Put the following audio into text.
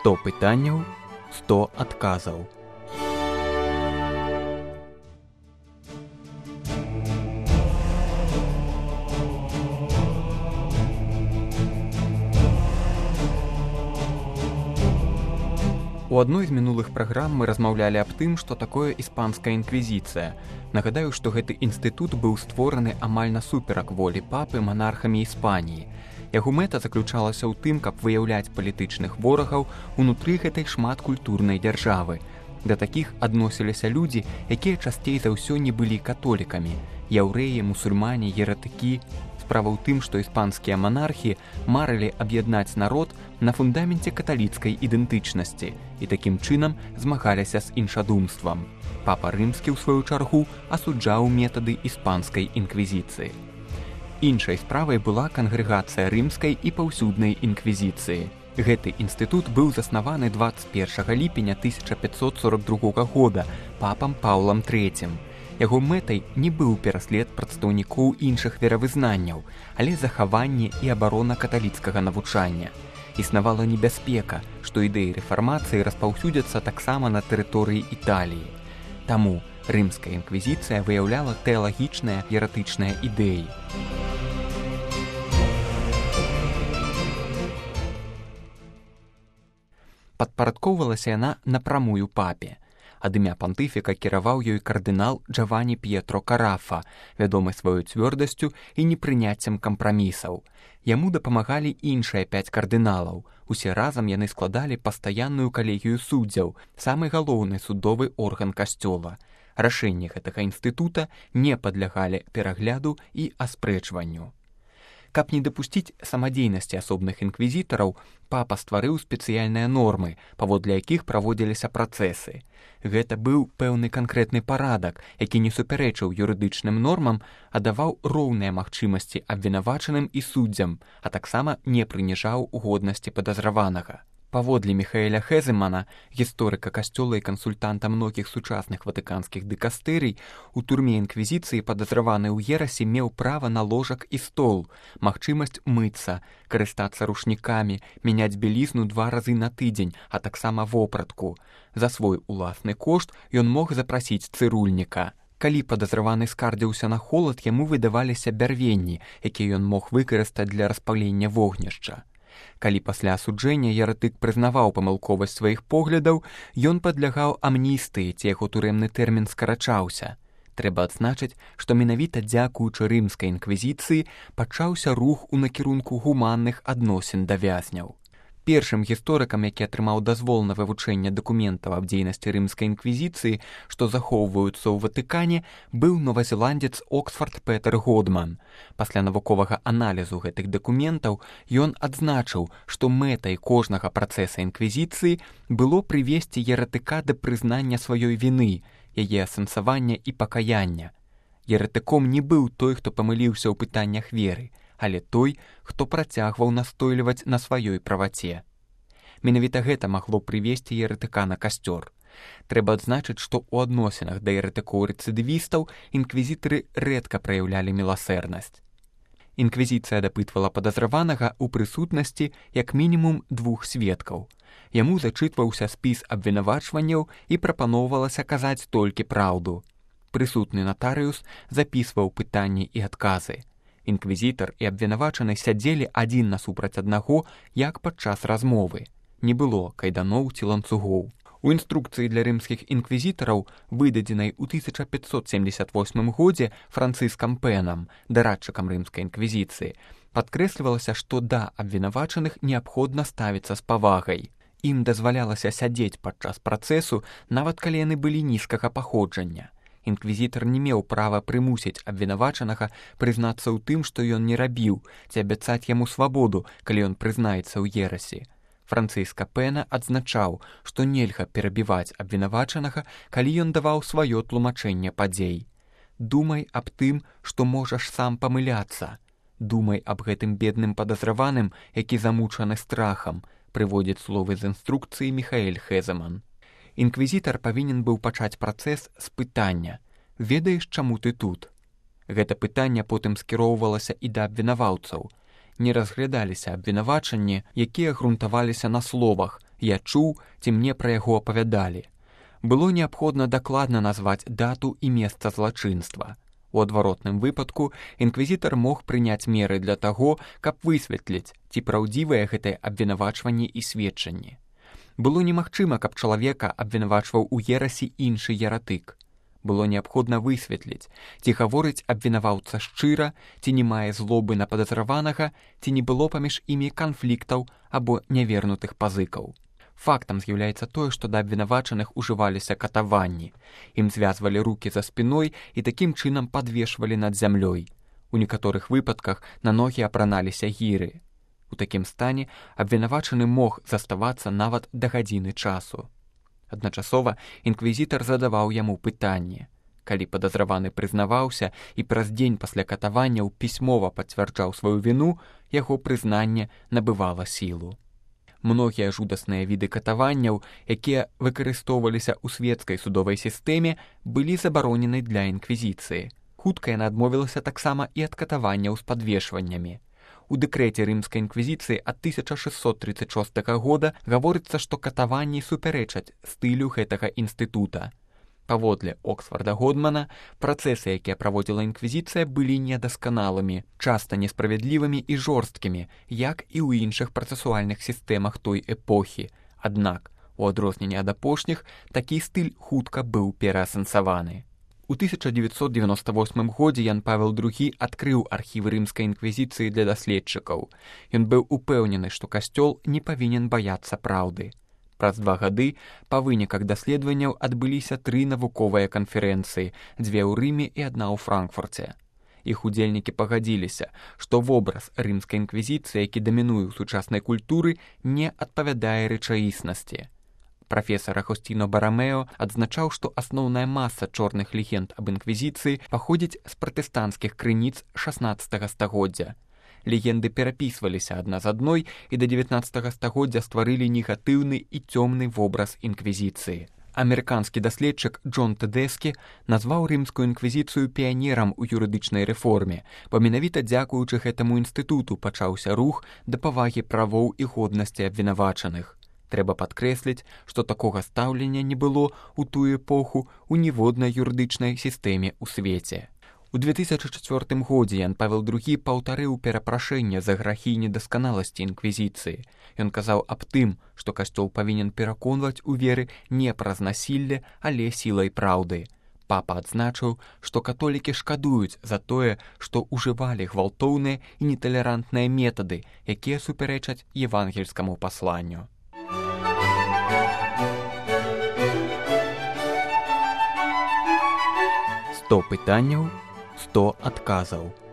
100 пытанняў, 100 адказаў. У адной з мінулых праграм мы размаўлялі аб тым, што такое іспанская інквізіцыя. Нагадаю, што гэты інстытут быў створаны амаль насуперак волі папы манархамі Іспаніі. Яго мэта заключалася ў тым, каб выяўляць палітычных ворагаў унутры гэтай шматкультурнай дзяржавы. Да такіх адносіліся людзі, якія часцей за ўсё не былі католікамі. Яўрэі, мусульмане, еретыкі. Справа ў тым, што іспанскія манархі марылі аб'яднаць народ на фундаменце каталіцкай ідэнтычнасці і такім чынам змагаліся з іншадумствам. Папа Рымскі, ў сваю чаргу, асуджаў метады іспанскай інквізіцыі. Іншай справай была кангрэгацыя рымскай і паўсюднай інквізіцыі. Гэты інстытут быў заснаваны 21 ліпеня 1542 года папам Паўлам III. Яго мэтай не быў пераслед прадстаўнікоў іншых веравызнанняў, але захаванне і абарона каталіцкага навучання. Існавала небяспека, што ідэі рэфармацыі распаўсюдзяцца таксама на тэрыторыі Італіі. Таму рымская інквізіцыя выяўляла тэалагічныя еретычныя ідэі. Падпарадкоўвалася яна напрамую папе. Ад імя пантыфіка кіраваў ёй кардынал Джавані П'етро Карафа, вядомы сваёй цвёрдасцю і непрыняццем кампрамісаў. Яму дапамагалі іншыя 5 кардыналаў. Усе разам яны складалі пастаянную калегію суддзяў, самы галоўны судовы орган касцёла. Рашэнні гэтага інстытута не падлягалі перагляду і аспрэчванню. Каб не дапусціць самадзейнасці асобных інквізітараў, папа стварыў спецыяльныя нормы, паводле якіх праводзіліся працэсы. Гэта быў пэўны канкрэтны парадак, які не супярэчыў юрыдычным нормам, а даваў роўныя магчымасці абвінавачаным і суддзям, а таксама не прыніжаў годнасці падазраванага. Паводле Міхаэля Хеземана, гісторыка касцёла і кансультанта многіх сучасных ватыканскіх дыкастэрый, у турме інквізіцыі падазраваны ў ерасе меў права на ложак і стол, магчымасць мыцца, карыстацца рушнікамі, мяняць белізну 2 разы на тыдзень, а таксама вопратку. За свой уласны кошт ён мог запрасіць цырульніка. Калі падазраваны скардзіўся на холад, яму выдаваліся бярвенні, якія ён мог выкарыстаць для распалення вогнішча. Калі пасля асуджэння еретык прызнаваў памылковасць сваіх поглядаў, ён падлягаў амністыі, ці яго турэмны тэрмін скарачаўся. Трэба адзначыць, што менавіта дзякуючы рымскай інквізіцыі пачаўся рух у накірунку гуманных адносін да вязняў. Першым гісторыкам, які атрымаў дазвол на вывучэнне дакументаў аб дзейнасці рымскай інквізіцыі, што захоўваюцца ў Ватыкане, быў новазеландец Оксфорд Петер Годман. Пасля навуковага аналізу гэтых дакументаў ён адзначыў, што мэтай кожнага працэса інквізіцыі было прывесці еретыка да прызнання сваёй віны, яе асэнсавання і пакаяння. Еретыком не быў той, хто памыліўся ў пытаннях веры, але той, хто працягваў настойліваць на сваёй праваце. Менавіта гэта магло прывесці еретыка на касцёр. Трэба адзначыць, што ў адносінах да еретыкоў-рэцыдывістаў інквізітары рэдка праяўлялі міласэрнасць. Інквізіцыя дапытвала падазраванага ў прысутнасці як мінімум 2 сведкаў. Яму зачытваўся спіс абвінавачванняў і прапаноўвалася казаць толькі праўду. Прысутны натарыус запісваў пытанні і адказы. Інквізітар і абвінавачаны сядзелі адзін насупраць аднаго, як падчас размовы. Не было кайданоў ці ланцугоў. У інструкцыі для рымскіх інквізітараў, выдадзенай у 1578 годзе Францыскам Пэнам, дарадчыкам рымскай інквізіцыі, падкрэслівалася, што да абвінавачаных неабходна ставіцца з павагай. Ім дазвалялася сядзець падчас працэсу, нават калі яны былі нізкага паходжання. Інквізітар не меў права прымусіць абвінавачанага прызнацца ў тым, што ён не рабіў, ці абяцаць яму свабоду, калі ён прызнаецца ў ерасе. Францыска Пэна адзначаў, што нельга перабіваць абвінавачанага, калі ён даваў сваё тлумачэнне падзей. Думай аб тым, што можаш сам памыляцца. Думай аб гэтым бедным падазраваным, які замучаны страхам, прыводзіць словы з інструкцыі Міхаэль Хеземан. Інквізітар павінен быў пачаць працэс з пытання: «Ведаеш, чаму ты тут?» Гэта пытанне потым скіроўвалася і да абвінаваўцаў. Не разглядаліся абвінавачанні, якія грунтаваліся на словах Я чуў, ці мне пра яго апавядалі. Было неабходна дакладна назваць дату і месца злачынства. У адваротным выпадку інквізітар мог прыняць меры для таго, каб высветліць, ці праўдзівыя гэтыя абвінавачванні і сведчанні. Было немагчыма, каб чалавека абвінавачваў у ерасі іншы ератык. Было неабходна высветліць, ці гаворыць абвінаваўца шчыра, ці не мае злобы на падазраванага, ці не было паміж імі канфліктаў або нявернутых пазыкаў. Фактам з'яўляецца тое, што да абвінавачаных ужываліся катаванні. Ім звязвалі рукі за спіной і такім чынам падвешвалі над зямлёй. У некаторых выпадках на ногі апраналіся гіры. У такім стане абвінавачаны мог заставацца нават да гадзіны часу. Адначасова інквізітар задаваў яму пытанне. Калі падазраваны прызнаваўся і праз дзень пасля катаванняў пісьмова пацвярджаў сваю віну, яго прызнанне набывала сілу. Многія жудасныя віды катаванняў, якія выкарыстоўваліся ў свецкай судовай сістэме, былі забаронены для інквізіцыі. Хутка яна адмовілася таксама і ад катаванняў з падвешваннямі. У дэкрэце рымскай інквізіцыі ад 1636 года гаворыцца, што катаванні супярэчаць стылю гэтага інстытута. Паводле Оксфарда Годмана, працэсы, якія праводзіла інквізіцыя, былі недасканалымі, часта несправядлівымі і жорсткімі, як і ў іншых працэсуальных сістэмах той эпохі. Аднак, у адрозненне ад апошніх, такі стыль хутка быў пераасэнсаваны. У 1998 годзе Ян Павел II адкрыў архівы рымскай інквізіцыі для даследчыкаў. Ён быў упэўнены, што касцёл не павінен баяцца праўды. Праз 2 гады па выніках даследаванняў адбыліся 3 навуковыя канферэнцыі, 2 ў Рыме і 1 ў Франкфурце. Іх удзельнікі пагадзіліся, што вобраз рымскай інквізіцыі, які дамінуе ў сучаснай культуры, не адпавядае рэчаіснасці. Прафесар Агостіно Барамео адзначаў, што асноўная маса чорных легенд аб інквізіцыі паходзіць з пратэстанцкіх крыніц 16 стагоддзя. Легенды перапісваліся адна з адной і да 19 стагоддзя стварылі негатыўны і цёмны вобраз інквізіцыі. Амерыканскі даследчык Джон Тэдэскі назваў рымскую інквізіцыю піянерам у юрыдычнай рэформе, бо менавіта дзякуючы гэтаму інстытуту пачаўся рух да павагі правоў і годнасці абвінавачаных. Трэба падкрэсліць, што такога стаўлення не было ў тую эпоху ў ніводнай юрыдычнай сістэме ў свеце. У 2004 годзе Ян Павел II паўтарыў перапрашэнне за грахі і недасканаласці інквізіцыі. Ён казаў аб тым, што касцёл павінен пераконваць у веры не праз насілле, але сілай праўды. Папа адзначыў, што католікі шкадуюць за тое, што ўжывалі гвалтоўныя і неталерантныя метады, якія супярэчаць евангельскаму пасланню. «100 пытанняў, 100 адказаў».